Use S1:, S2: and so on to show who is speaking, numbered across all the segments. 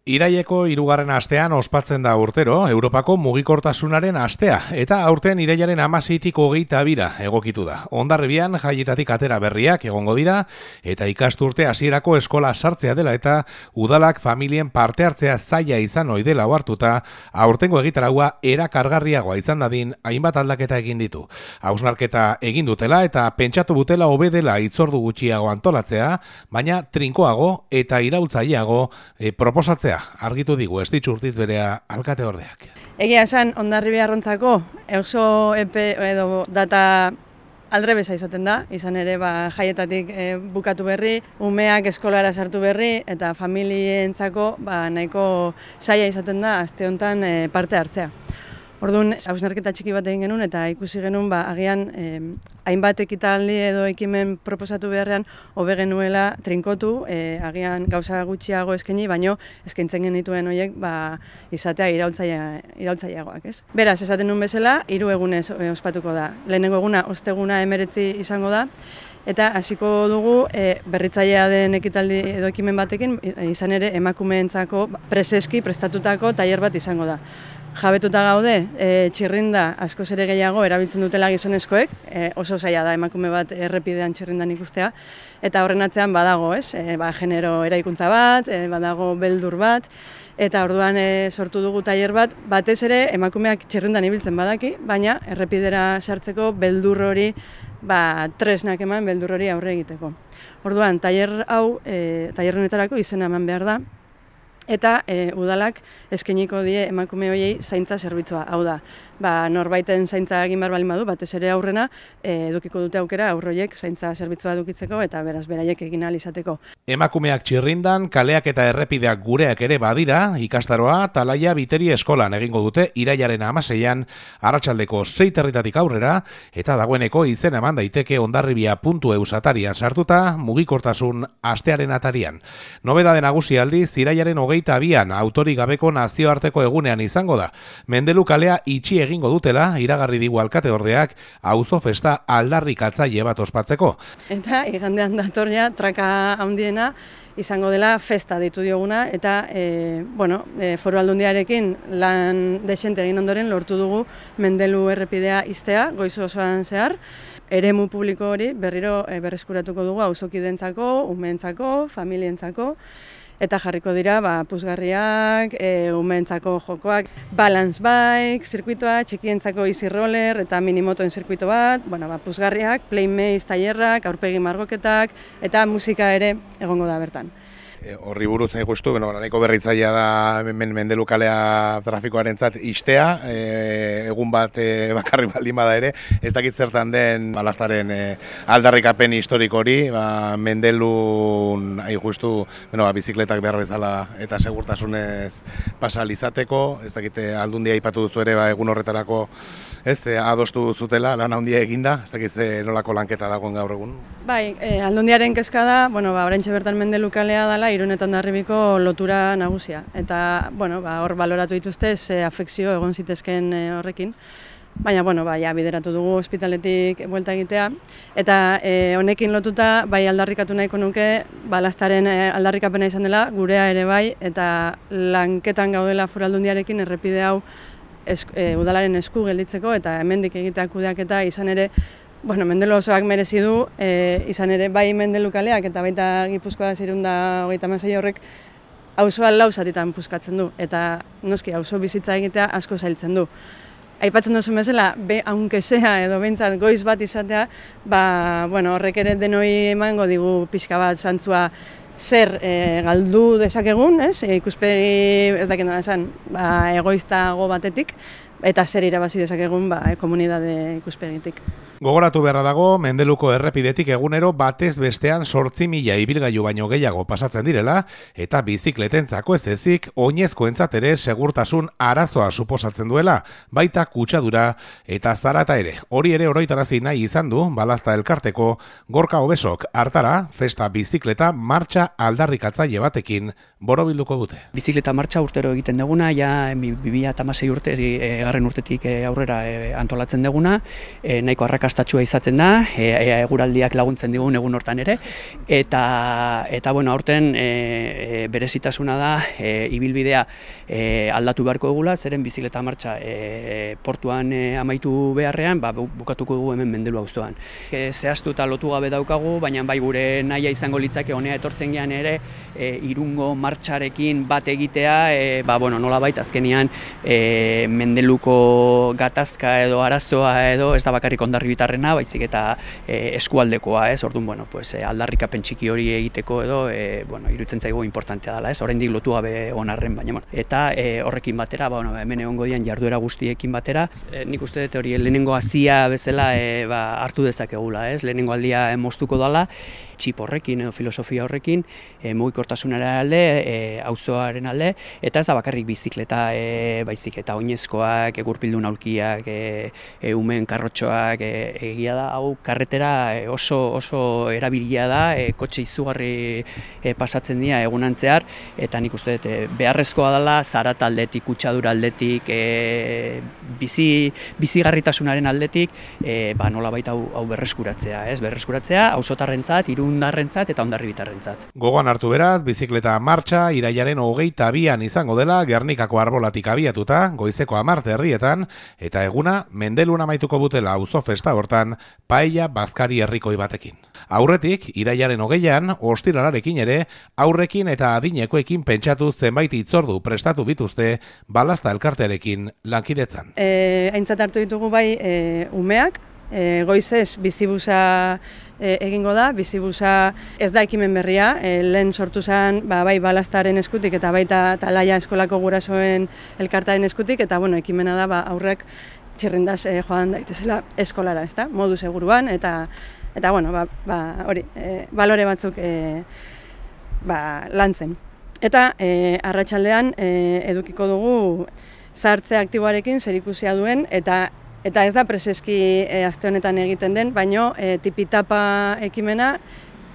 S1: Iraileko 3. astean ospatzen da urtero Europako mugikortasunaren astea eta aurten irailaren 16tik 22 egokitu da. Hondarribian jaietatik atera berriak egongo dira eta ikasturte hasierako eskola sartzea dela eta udalak familien parte hartzea zaila izan ohi dela ohartuta aurtengo egitaragua erakargarriagoa izan dadin hainbat aldaketa egin ditu. Hausnarketa egin dutela eta pentsatu dutela hobe dela hitzordu gutxiago antolatzea, baina trinkoago eta iraultzaileago proposatzea. Argitu digu Estitxu Urtiz berea alkateordeak.
S2: Egia esan, Hondarribia arrontzako oso epe edo data aldrebesa izaten da, izan ere jaietatik bukatu berri, umeak eskolara sartu berri eta familientzako nahiko zaila izaten da aste honetan parte hartzea. Orduan, hausnarketa txiki bat egin genuen eta ikusi genuen agian hainbat ekitaldi edo ekimen proposatu beharrean hobe genuela trinkotu, agian gauza gutxiago eskaini, baino eskaintzen genituen horiek izatea iraultzaileagoak, ez? Beraz, esaten nuen bezala, 3 egunez ospatuko da. Lehenengo eguna, osteguna 19 izango da, eta hasiko dugu berritzailea den ekitaldi edo ekimen batekin, izan ere emakumeentzako preseski prestatutako tailer bat izango da. Jabetuta gaude, txirrinda askoz ere gehiago erabiltzen dutela gizonezkoek, oso zaila da emakume bat errepidean txirrindan ikustea, eta horren atzean badago, genero eraikuntza bat, badago beldur bat, eta orduan sortu dugu tailer bat, batez ere emakumeak txirrindan ibiltzen badaki, baina errepidera sartzeko beldur hori, tresnak eman beldur hori aurre egiteko. Orduan, tailer hau, tailer honetarako izena eman behar da, eta udalak eskainiko die emakume horiei zaintza zerbitzua. Hau da, norbaiten zaintza egin behar baldin badu, batez ere aurrena, edukiko dute aukera aurroiek zaintza zerbitzua edukitzeko eta beraz beraiek egin ahal izateko.
S1: Emakumeak txirrindan, kaleak eta errepideak gureak ere badira, ikastaroa Talaia Biteri eskolan egingo dute irailaren 16an arratsaldeko 6 aurrera eta dagoeneko izena eman daiteke hondarribia.eus atarian sartuta mugikortasun astearen atarian. Nobedade nagusi aldiz irailaren 22an autorik gabeko nazioarteko egunean izango da. Mendelu kalea itxi egingo dutela iragarri digu alkateordeak auzo festa aldarrikatzaile bat ospatzeko.
S2: Eta igandean datorria traka handiena izango dela festa ditu dioguna eta Foru Aldundiarekin lan desente egin ondoren lortu dugu Mendelu errepidea ixtea goiz osoan zehar. Eremu publiko hori berriro berreskuratuko dugu auzokidentzako, umeentzako, familientzako. Eta jarriko dira puzgarriak, umeentzako jokoak, balance bike, zirkuitoa, txikientzako easy roller eta minimotoen zirkuito bat, puzgarriak, playmaze tailerrak, aurpegi margoketak eta musika ere egongo da bertan.
S1: Horri buruz nahi justu, nahiko berritzailea da Mendelu kalea trafikoarentzat ixtea, egun bat bakarri baldin bada ere, ez dakit zertan den balastaren aldarrikapen historiko hori, Mendelun nahi justu bizikletak behar bezala eta segurtasunez pasal izateko, ez dakit Aldundia aipatu duzu ere egun horretarako adostu zutela, lan handia eginda, ez dakit nolako lanketa dagoen gaur egun?
S2: Bai, Aldundiaren kezka da, oraintxe bertan Mendelu kalea dela, Irun eta Hondarribiko lotura nagusia. Eta, hor baloratu dituzte, afekzio egon zitezken horrekin. Baina, bideratu dugu ospitaletik buelta egitea. Eta honekin lotuta, aldarrikatu nahiko nuke, balastaren aldarrikapena izan dela, gurea ere bai, eta lanketan gaudela Foru Aldundiarekin errepide hau udalaren esku gelditzeko, eta hemendik egitea kudeaketa izan ere, Mendelu osoak merezi du, izan ere bai Mendelu kaleak eta baita Gipuzkoa 636 horrek auzoa 4 zatitan puskatzen du eta noski auzo bizitza egitea asko zailtzen du. Aipatzen duzu bezala, aunque sea edo behintzat goiz bat izatea, horrek ere denoi emango digu pixka bat zantzua zer galdu dezakegun, ikuspegi ez dakit nola esan, egoiztago batetik, eta zer irabazi dezakegun komunitate ikuspegitik.
S1: Gogoratu beharra dago, Mendeluko errepidetik egunero batez bestean 8.000 ibilgailu baino gehiago pasatzen direla, eta bizikletentzako ez ezik, oinezkoentzat ere segurtasun arazoa suposatzen duela, baita kutsadura eta zarata ere. Hori ere oroitarazi nahi izan du, Balazta elkarteko Gorka Obesok hartara, festa bizikleta martxa aldarrikatzaile batekin borobilduko dute.
S3: Bizikleta martxa urtero egiten duguna, ja 2016 urte bigarren urtetik aurrera antolatzen duguna, nahiko arrakastatsua izaten da, eguraldiak laguntzen digun egun hortan ere, eta bueno, aurten berezitasuna da, ibilbidea aldatu beharko dugula, zeren bizikleta martxa portuan amaitu beharrean, bukatuko dugu hemen Mendelu auzoan. Zehaztu eta lotu gabe daukagu, baina bai gure nahia izango litzake honea etortzen gean ere, Irungo martxarekin bat egitea, nolabait azkenean Mendeluko gatazka edo arazoa edo ez da bakarrik Hondarribitarrena, baizik eta eskualdekoa, orduan, aldarrikapen txiki hori egiteko edo, iruditzen zaigu importantea dela, oraindik lotu gabe onarren, baina, eta horrekin batera, hemen egongo dian jarduera guztiekin batera, nik uste dut hori lehenengo hazia bezala hartu dezakegula, lehenengo aldia moztuko dela, txip horrekin edo filosofia horrekin, mugikortasunaren alde, auzoaren alde, eta ez da bakarrik bizikleta, baizik eta oinezkoak, gurpildun aulkiak, umen karrotxoak, egia da, hau karretera oso erabilia da, kotxe izugarri pasatzen dira egunantzear, eta nik uste dut beharrezkoa dela, zarat aldetik, kutsadura aldetik, bizigarritasunaren aldetik, nolabait hau berreskuratzea, auzotarrentzat, irundarrentzat eta hondarribitarrentzat.
S1: Gogoan hartu beraz, bizikleta martxa irailaren 22an izango dela Gernikako arbolatik abiatuta, goizeko 10 herrietan, eta eguna Mendelun amaituko butela auzo festa hortan, paella bazkari herrikoi batekin. Aurretik, irailaren 20an, ostiralarekin ere, aurrekin eta adinekoekin pentsatu zenbait hitzordu prestatu bituzte balazta elkartearekin lankidetzan.
S2: Aintzat hartu ditugu bai umeak, goizez bizibusa egingo da, bizibusa ez da ekimen berria, lehen sortu zen bai balaztaren eskutik eta baita Talaia eskolako gurasoen elkartaren eskutik, eta ekimena da aurrek txirrindaz joan daitezela eskolara, ezta? Modu seguruan, eta hori, balore batzuk lantzen. Eta arratsaldean edukiko dugu zahartze aktiboarekin zerikusia duen, eta ez da preseski aste honetan egiten den, baino tipitapa ekimena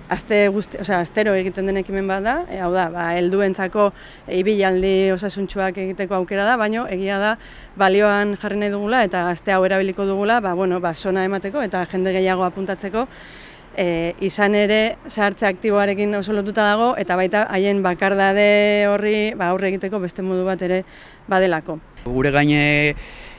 S2: astero egiten den ekimen bat da, hau da, helduentzako ibilaldi osasuntsuak egiteko aukera da, baino egia da balioan jarri nahi dugula eta aste hau erabiliko dugula, sona emateko eta jende gehiago apuntatzeko, izan ere zahartze aktiboarekin oso lotuta dago, eta baita haien bakardade horri aurre egiteko beste modu bat ere badelako.
S3: Gure gaine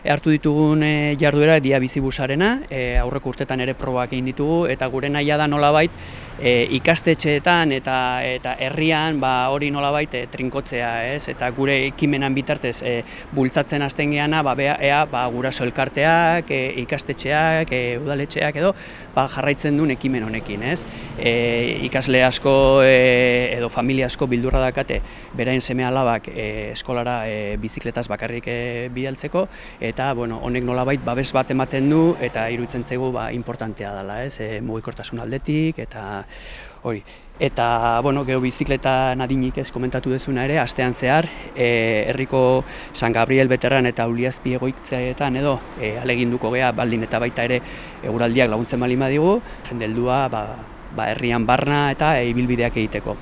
S3: hartu ditugun jarduera dia bizibusarena, aurreko urtetan ere probak egin ditugu, eta gure nahia da nolabait ikastetxeetan eta herrian hori nolabait trinkotzea, eta gure ekimenan bitartez bultzatzen hasten geana, ea guraso elkarteak, ikastetxeak, udaletxeak edo jarraitzen duen ekimen honekin, ikasle asko edo familia asko bildurra dakate beraien seme alabak eskolara bizikletaz bakarrik bidaltzeko, eta honek nolabait babes bat ematen du eta iruditzen zaigu importantea dela, mugikortasun aldetik eta hori. Eta, gero bizikleta nadinik komentatu dezuna ere, astean zehar, herriko San Gabriel Beterran eta Uliazpi egoitzeetan edo aleginduko gea, baldin eta baita ere eguraldiak laguntzen baldin badigu, jende heldua herrian barna eta ibilbideak egiteko.